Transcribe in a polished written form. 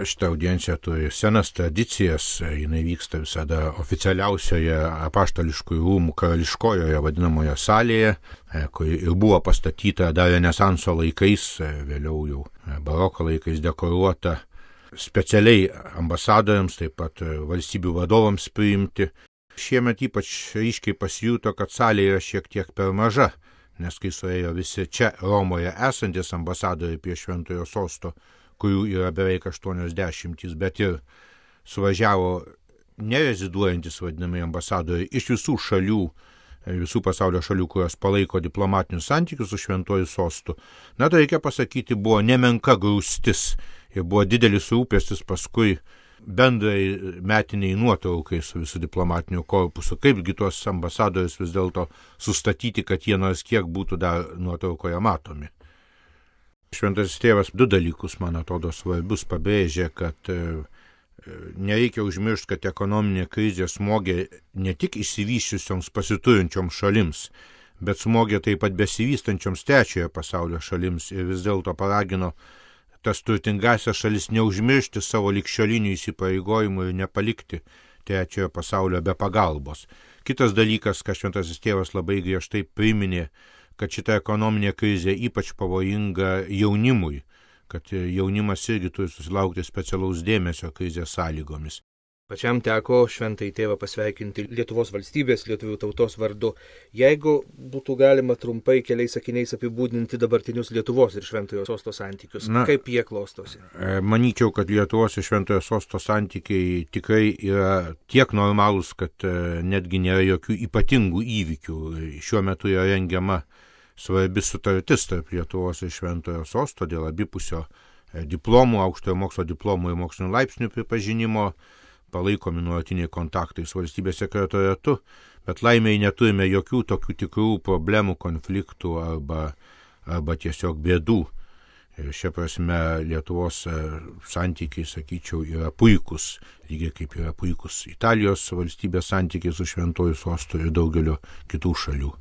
Šitą audienciją turi senas tradicijas, jinai vyksta visada oficialiausioje apaštališkųjų rūmų karališkojoje vadinamoje salėje, kuri ir buvo pastatyta dar Renesanso laikais, vėliau jau baroko laikais dekoruota specialiai ambasadoriams, taip pat valstybių vadovams priimti. Šiemet ypač ryškiai pasijuto, kad salė yra šiek tiek per maža, nes kai suėjo visi čia Romoje esantis ambasadoriai prie Šventojo sosto, kurių yra beveik 80, bet ir suvažiavo nereziduojantis vadinamai ambasadoriai iš visų šalių, visų pasaulio šalių, kurios palaiko diplomatinius santykius su Šventuoju sostu. Na, tai reikia pasakyti, buvo nemenka grūstis ir buvo didelis rūpestis paskui bendrai metiniai nuotraukai su visų diplomatiniu korpusu. Kaipgi tuos ambasadorius vis dėlto sustatyti, kad jie nors kiek būtų dar nuotraukoje matomi. Šventasis tėvas du dalykus, man atrodo, svarbius pabrėžė, kad nereikia užmiršti, kad ekonominė krizė smogė ne tik išsivysčiusioms pasiturinčioms šalims, bet smogė taip pat besivystančioms trečiojo pasaulio šalims ir vis dėlto paragino tas turtingasias šalis neužmiršti savo ligšiolinių įsipareigojimų ir nepalikti trečiojo pasaulio be pagalbos. Kitas dalykas, ką šventasis tėvas labai griežtai priminė, kad šita ekonominė krizė ypač pavojinga jaunimui, kad jaunimas irgi turi susilaukti specialaus dėmesio krizės sąlygomis. Pačiam teko šventąjį tėvą pasveikinti Lietuvos valstybės, lietuvių tautos vardu. Jeigu būtų galima trumpai keliais sakiniais apibūdinti dabartinius Lietuvos ir Šventojo sosto santykius, kaip jie klostosi? Manyčiau, kad Lietuvos ir Šventojo sosto santykiai tikrai yra tiek normalūs, kad netgi nėra jokių ypatingų įvykių. Šiuo metu yra rengiama svarbi sutartis tarp Lietuvos ir Šventojo sosto dėl abipusio diplomų, aukštojo mokslo diplomų ir mokslinių laipsnių pripažinimo, palaikomi nuolatiniai kontaktai su valstybės sekretoriatu, bet laimei neturime jokių tokių tikrų problemų, konfliktų arba tiesiog bėdų. Ir šia prasme Lietuvos santykiai, sakyčiau, yra puikus, lygiai kaip yra puikus Italijos valstybės santykiai su Šventuoju sostu ir daugelio kitų šalių.